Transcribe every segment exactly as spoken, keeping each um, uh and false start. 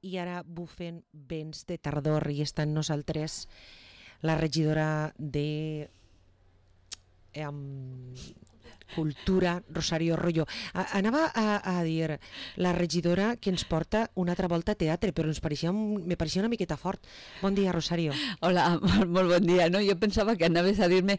i ara bufen vents de tardor i està amb nosaltres la regidora de eh, Cultura, Rosario Royo. A, anava a, a dir la regidora que ens porta una altra volta a teatre, però ens pareixia, me pareixia una miqueta fort. Bon dia, Rosario. Hola, molt, molt bon dia. No? Jo pensava que anaves a dir-me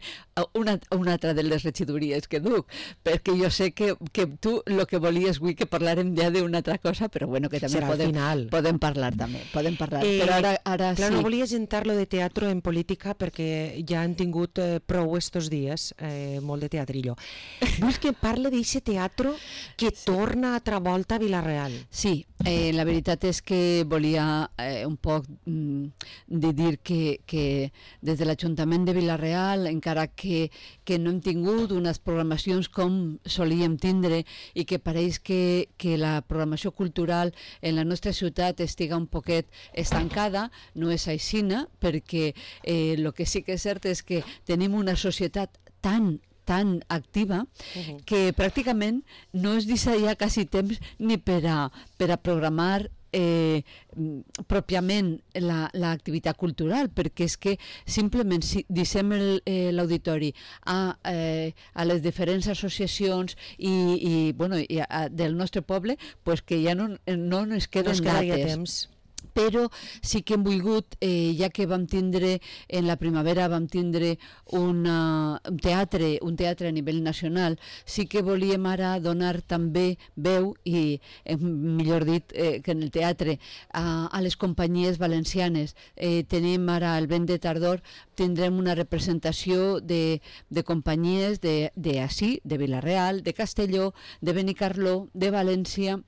una, una altra de les regidories que duc, perquè jo sé que, que tu el que volies avui que parlarem ja d'una altra cosa, però bueno, que també podem, podem parlar també, podem parlar. Eh, però ara, ara clar, sí. No volia gentar-lo de teatre en política perquè ja han tingut eh, prou estos dies, eh, molt de teatrillo. Vull que parle d'aquest teatre que sí. torna altra volta a Vila-real. Sí, eh, la veritat és que volia eh, un poc mm, de dir que, que des de l'Ajuntament de Vila-real, encara que, que no hem tingut unes programacions com solíem tindre i que pareix que, que la programació cultural en la nostra ciutat estiga un poquet estancada, no és aixina, perquè eh, el que sí que és cert és que tenim una societat tan tan activa uh-huh. que pràcticament no es deixa ja quasi temps ni per a, per a programar eh, pròpiament l'activitat la, cultural, perquè és que simplement si deixem l'auditori a, eh, a les diferents associacions i, i, bueno, i a, del nostre poble, pues que ja no, no ens queden no dates. Temps. Però sí que hem volgut, eh, ja que vam tindre en la primavera vam tindre una, un teatre un teatre a nivell nacional, sí que volíem ara donar també veu i, eh, millor dit, eh, que en el teatre a, a les companyies valencianes. Eh, tenim ara el vent de tardor, tindrem una representació de, de companyies de, de ací, de Vila-real, de Castelló, de Benicarló, de València,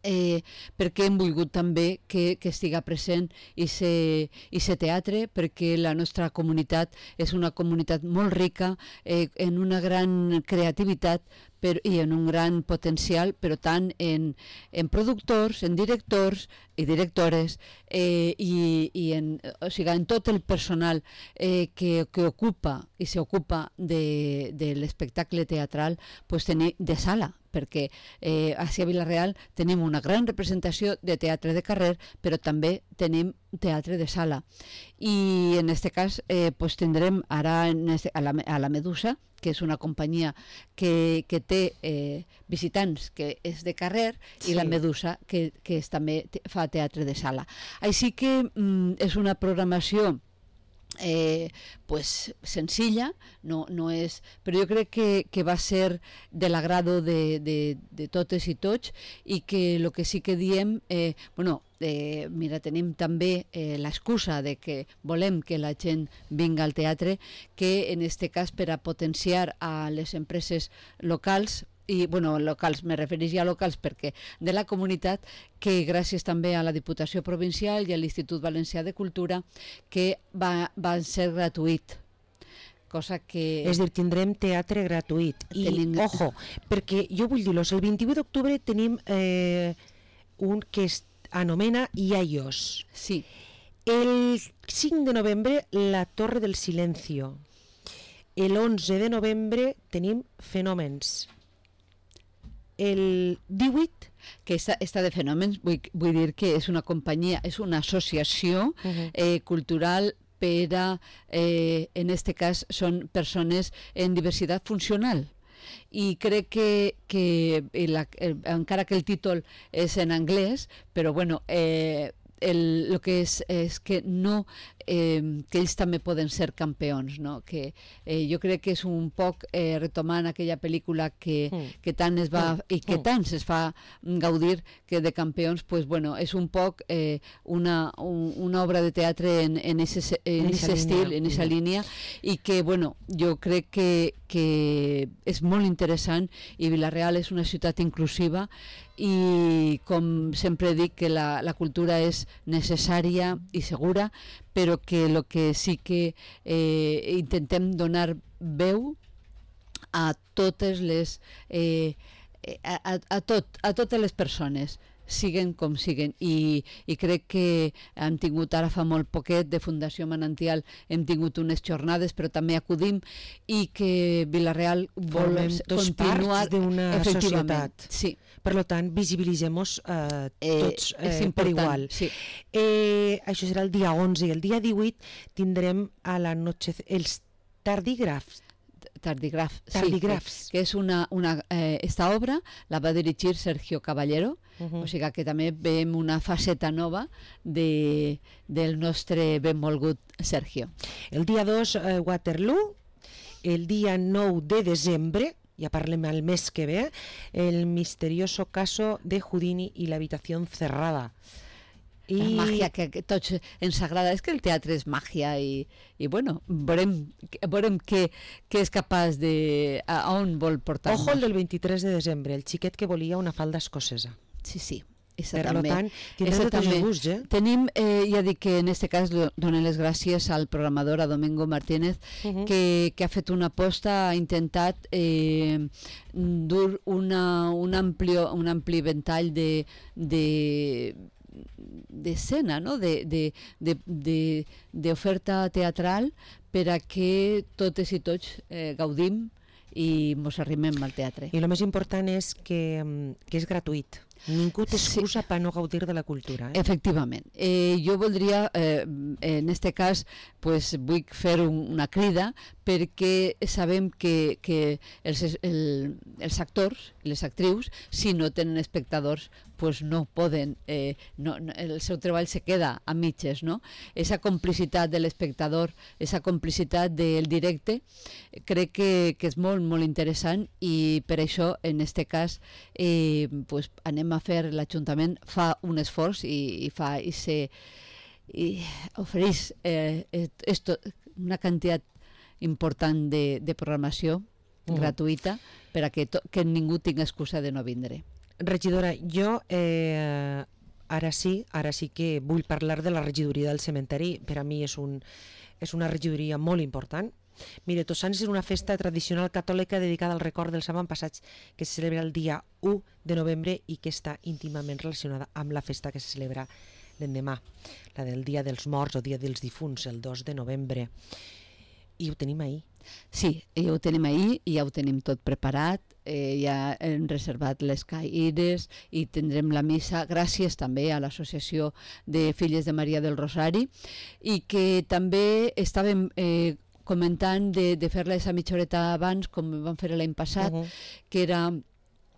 Eh, perquè hem volgut també que, que estiga present i se teatre, perquè la nostra comunitat és una comunitat molt rica, eh, en una gran creativitat però, i en un gran potencial, però tant en, en productors, en directors i directores, eh, i, i en, o sigui, en tot el personal eh, que, que ocupa i s'ocupa de, de l'espectacle teatral, pues, tenir de sala, perquè eh, a Vila-real tenim una gran representació de teatre de carrer, però també tenim teatre de sala. I en aquest cas eh, pues tindrem ara en este, a, la, a la Medusa, que és una companyia que, que té eh, visitants que és de carrer, sí. I la Medusa que, que és, també fa teatre de sala. Així que mm, és una programació Eh, pues senzilla, no, no és, però jo crec que, que va ser de l'agrado de, de, de totes i tots, i que el que sí que diem, eh, bueno, eh, mira, tenim també eh, l'excusa de que volem que la gent vinga al teatre, que en este cas per a potenciar a les empreses locals, i bueno, locals, me refereix ja a locals perquè de la comunitat, que gràcies també a la Diputació Provincial i a l'Institut Valencià de Cultura, que va, va ser gratuït, cosa que... És a dir, tindrem teatre gratuït. I, tenim... ojo, perquè jo vull dir-los, el vint-i-vuit d'octubre tenim eh, un que es anomena Iaios. Sí. El cinc de novembre, la Torre del Silencio. El onze de novembre tenim Fenòmens. El divuit, que esta, esta de Fenòmens, vull, vull dir que és una companyia, és una associació uh-huh. eh, cultural per a, eh, en este cas, són persones en diversitat funcional. I crec que, que la, el, encara que el títol és en anglès, però bueno, eh, el, el que és, és que no eh, que ells també poden ser campions, no? Que eh, jo crec que és un poc eh, retomant aquella pel·lícula que, mm. que tant es va mm. i que mm. tant es fa gaudir que de campions, pues bueno, és un poc eh, una, un, una obra de teatre en, en ese, en en ese estil, en esa mm. línia, i que bueno, jo crec que, que és molt interessant, i Vila-real és una ciutat inclusiva, i com sempre dic que la, la cultura és necessària i segura, però que el que sí que eh, intentem donar veu a totes les eh, a, a, tot, a totes les persones, siguen com siguen, i, i crec que hem tingut ara fa molt poquet de Fundació Manantial, hem tingut unes jornades, però també acudim, i que Vila-real vol Formem dos continuar parts d'una societat. Sí. Per tant, visibilitzem-nos eh, tots eh, eh, per igual. Sí. Eh, això serà el dia onze, i el dia divuit tindrem a la noche els tardígrafs. Tardigraf, Tardigrafs. Sí, que, que és una, una, eh, esta obra la va dirigir Sergio Caballero, uh -huh. O sigui que també veiem una faceta nova de, del nostre benvolgut Sergio. El dia dos, eh, Waterloo, el dia nou de desembre, ja parlem el mes que ve, el misterioso caso de Houdini i l'habitació cerrada. I... La màgia que, que tots ens agrada, és que el teatre és màgia, i, i bueno, veurem, veurem què, què és capaç de... a on vol portar-nos. Ojo el del vint-i-tres de desembre, el xiquet que volia una falda escocesa. Sí, sí. Per tant, tindrem tots els gusts, eh? Tenim, eh, ja dic que en aquest cas donem les gràcies al programador, a Domingo Martínez, uh -huh. que, que ha fet una aposta, ha intentat eh, dur una, un, amplio, un ampli ventall de... de d'escena, no? de, de, de, de, d'oferta teatral per a que totes i tots eh, gaudim i mos arrimem al teatre. I el més important és que, que és gratuït. Ningú t'excusa sí. per no gaudir de la cultura. Eh? Efectivament. Eh, jo voldria, eh, en este cas, pues, vull fer un, una crida, perquè sabem que, que els, el, els actors, les actrius, si no tenen espectadors, pues no poden, eh, no, no, el seu treball se queda a mitges, no? Esa complicitat de l'espectador, esa complicitat del directe, crec que, que és molt, molt interessant, i per això, en este cas, eh, pues, anem a fer, l'Ajuntament fa un esforç i, i fa i se i ofereix eh, esto, una quantitat important de, de programació uh-huh. gratuïta per a que, to, que ningú tingui excusa de no vindre. Regidora, jo eh, ara sí, ara sí que vull parlar de la regidoria del cementeri. Per a mi és, un, és una regidoria molt important. Mire, Tots Sants és una festa tradicional catòlica dedicada al record dels avantpassats que se celebra el dia u de novembre i que està íntimament relacionada amb la festa que se celebra l'endemà, la del Dia dels Morts o Dia dels Difunts, el dos de novembre. I ho tenim ahir. Sí, ja ho tenim ahir i ja ho tenim tot preparat, eh, ja hem reservat les caires i tindrem la missa, gràcies també a l'Associació de Filles de Maria del Rosari, i que també estàvem eh, comentant de, de fer-la esa mitja horeta abans, com vam fer l'any passat, uh-huh. que era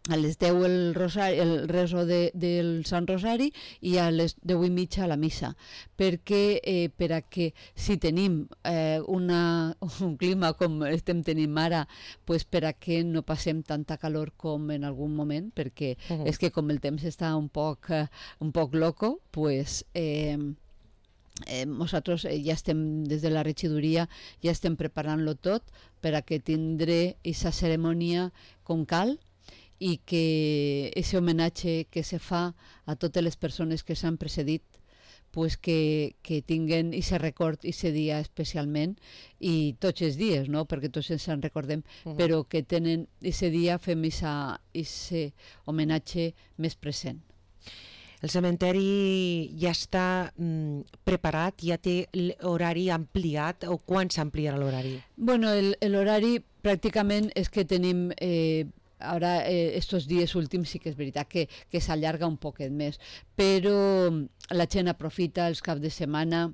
a les deu el, rosari, el rezo de, del Sant Rosari i a les deu i mitja la missa, perquè eh, per a que si tenim eh, una, un clima com estem tenint ara, pues per a que no passem tanta calor com en algun moment, perquè uh-huh. és que com el temps està un poc, uh, un poc loco, pues... Eh, Eh, nosaltres eh, ja estem, des de la regidoria, ja estem preparant-lo tot per a que tindré aquesta cerimònia com cal, i que aquest homenatge que se fa a totes les persones que s'han precedit, pues que, que tinguen aquest record aquest dia especialment, i tots els dies, no? Perquè tots ens en recordem, uh-huh. però que tenen aquest dia, fem aquest homenatge més present. El cementeri ja està mm, preparat, ja té l'horari ampliat, o quan s'ampliarà l'horari? Bueno, l'horari pràcticament és que tenim... Eh, ara, eh, estos dies últims sí que és veritat que, que s'allarga un poquet més, però la gent aprofita els caps de setmana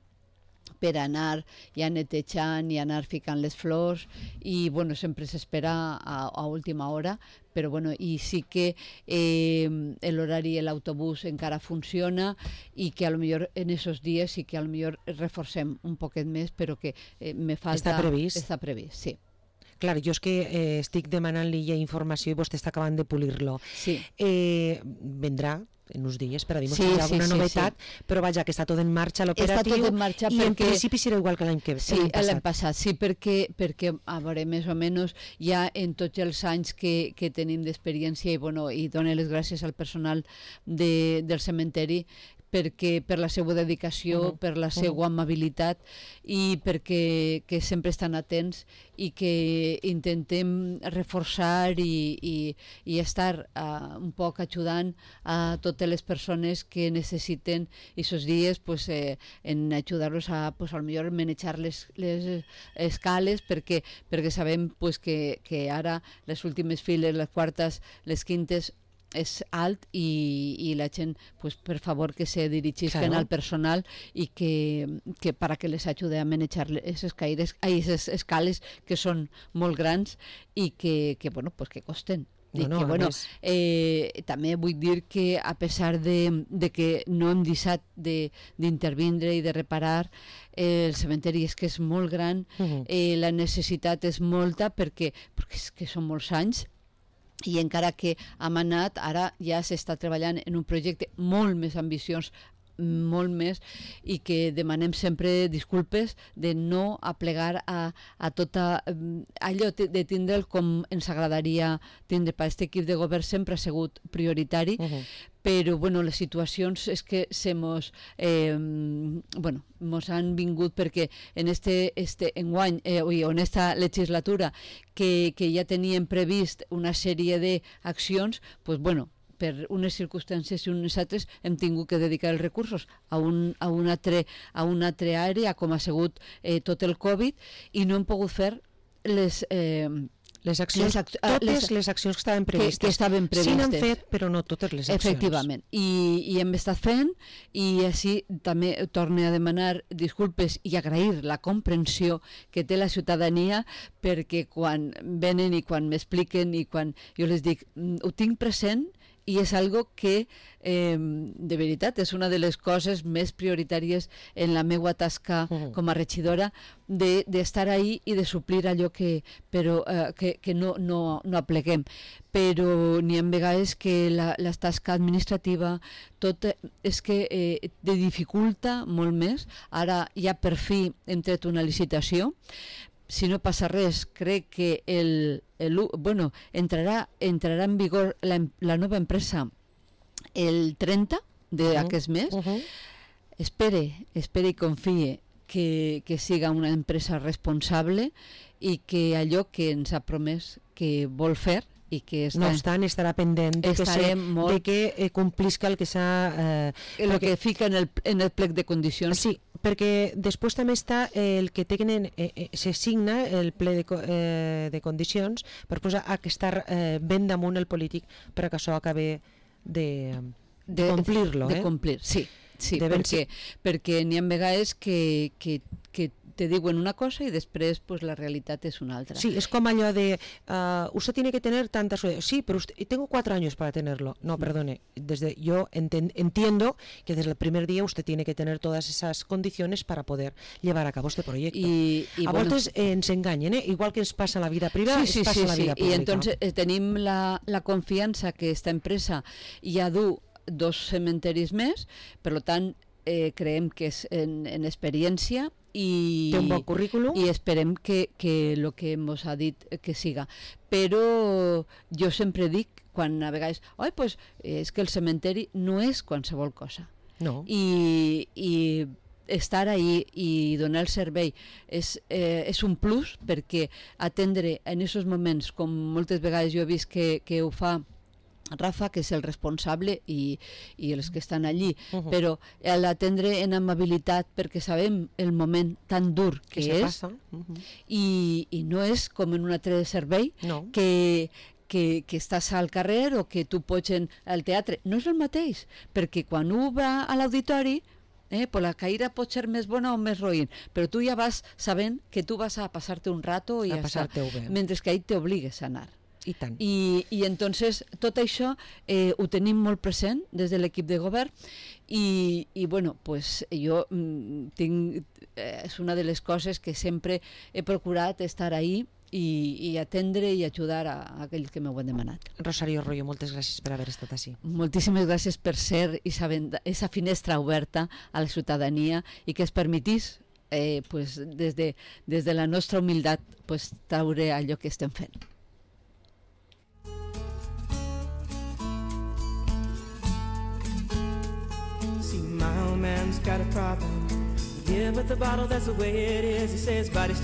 per anar ja netejant i anar ficant les flors, i bueno, sempre s'espera a, a última hora, però bueno, i sí que eh, l'horari i l'autobús encara funciona, i que a lo millor en aquests dies sí que a lo millor reforcem un poquet més, però que eh, me falta... Està previst? Està previst, sí. Clar, jo és que eh, estic demanant-li ja informació i vostè està acabant de polir-lo. Sí. Eh, vendrà en uns dies per a dir-nos sí, que hi ha alguna sí, novetat, sí. però vaja, que està tot en marxa l'operatiu, està tot en marxa i perquè... en principi serà igual que l'any que sí, passat. l'any passat. Sí, perquè, perquè a veure, més o menys, ja en tots els anys que, que tenim d'experiència, i, bueno, i dono les gràcies al personal de, del cementeri, perquè per la seva dedicació, uh -huh. per la seva uh -huh. amabilitat i perquè que sempre estan atents i que intentem reforçar i, i, i estar uh, un poc ajudant a totes les persones que necessiten aquests dies pues, eh, en ajudar-los a pues, al millor manejar les, les escales perquè, perquè sabem pues, que, que ara les últimes files, les quartes, les quintes és alt i, i la gent, pues, per favor, que se dirigisquen claro. al personal i que, que para que les ajude a manejar aquestes caires, aquestes escales que són molt grans i que, que bueno, pues que costen. I no, no, que, bueno, eh, també vull dir que a pesar de, de que no hem deixat d'intervindre i de reparar, eh, el cementeri és que és molt gran, uh-huh. eh, la necessitat és molta perquè, perquè és que són molts anys i encara que hem anat, ara ja s'està treballant en un projecte molt més ambiciós, molt més, i que demanem sempre disculpes de no aplegar a, a tota allò de tindre'l com ens agradaria tindre. Per aquest equip de govern sempre ha sigut prioritari, uh-huh. però bueno, les situacions és que se mos, eh, bueno, mos han vingut perquè en este, este enguany, eh, o en esta legislatura que, que ja teníem previst una sèrie d'accions, pues bueno, per unes circumstàncies i unes altres hem tingut que dedicar els recursos a un, a un, altre, a un altre àrea, com ha sigut eh, tot el Covid, i no hem pogut fer les... Eh, Les accions, les ac totes les, les accions que estaven previstes. Que, que estaven previstes. Sí n'han fet, però no totes les accions. Efectivament. I, i hem estat fent, i així també torno a demanar disculpes i agrair la comprensió que té la ciutadania, perquè quan venen i quan m'expliquen i quan jo les dic, ho tinc present, i és algo que, eh, de veritat, és una de les coses més prioritàries en la meva tasca uh-huh. com a regidora, d'estar de, ahí i de suplir allò que, però, eh, que, que no, no, no apleguem. Però n'hi ha vegades que la, la tasca administrativa tot és que eh, te dificulta molt més. Ara ja per fi hem tret una licitació. Si no passa res, crec que el, el, bueno, entrarà, entrarà en vigor la, la nova empresa el trenta d'aquest uh -huh. mes. Uh-huh. Espere, espere i confie que, que siga una empresa responsable i que allò que ens ha promès que vol fer i que està, no obstant estarà pendent de que, se, molt, de que eh, complisca el que s'ha... Eh, el que fica en el, en el plec de condicions. Sí, perquè després també està el que tenen, eh, eh, se signa el ple de, eh, de condicions per posar a que estar eh, ben damunt el polític per que això acabi de, de, de complir-lo. De, de eh? complir, sí. Sí, de perquè, perquè n'hi ha vegades que, que, que te diuen una cosa i després pues, la realitat és una altra. Sí, es como allò de uh, usted tiene que tener tantas... Sí, pero usted, tengo cuatro años para tenerlo. No, perdone, desde yo enten, entiendo que desde el primer día usted tiene que tener todas esas condiciones para poder llevar a cabo este proyecto. I, i a bueno, voltes eh, ens enganyen, eh? Igual que ens passa en la vida privada, sí, sí, ens passa sí, en la vida sí. pública. I entonces eh, tenim la, la confiança que esta empresa ja du dos cementeris més, per tant, eh, creiem que és en, en experiència i, té un bon currículum i esperem que, que el que ens ha dit que siga. Però jo sempre dic, quan a vegades, oi, pues, és que el cementeri no és qualsevol cosa. No. I, i estar ahí i donar el servei és, eh, és un plus, perquè atendre en aquests moments, com moltes vegades jo he vist que, que ho fa Rafa, que és el responsable i, i els que estan allí, uh-huh. però l'atendre en amabilitat perquè sabem el moment tan dur que, que és uh-huh. i, i no és com en un altre servei no. que, que, que estàs al carrer o que tu pots al teatre. No és el mateix, perquè quan un va a l'auditori Eh, pues la caïra pot ser més bona o més roïn, però tu ja vas sabent que tu vas a passar-te un rato i a ja passar-te-ho bé, mentre que ahí t'obligues a anar. I tant. I, i entonces tot això eh, ho tenim molt present des de l'equip de govern i, i bueno, pues jo mm, tinc, eh, és una de les coses que sempre he procurat estar ahí i, i atendre i ajudar a, a aquells que m'ho han demanat. Rosario Arroyo, moltes gràcies per haver estat així. Moltíssimes gràcies per ser aquesta finestra oberta a la ciutadania i que es permetís eh, pues, des, de, des de la nostra humilitat pues, traure allò que estem fent. Si man's got a problem. Yeah, but the bottle, that's the way it is. He says body's too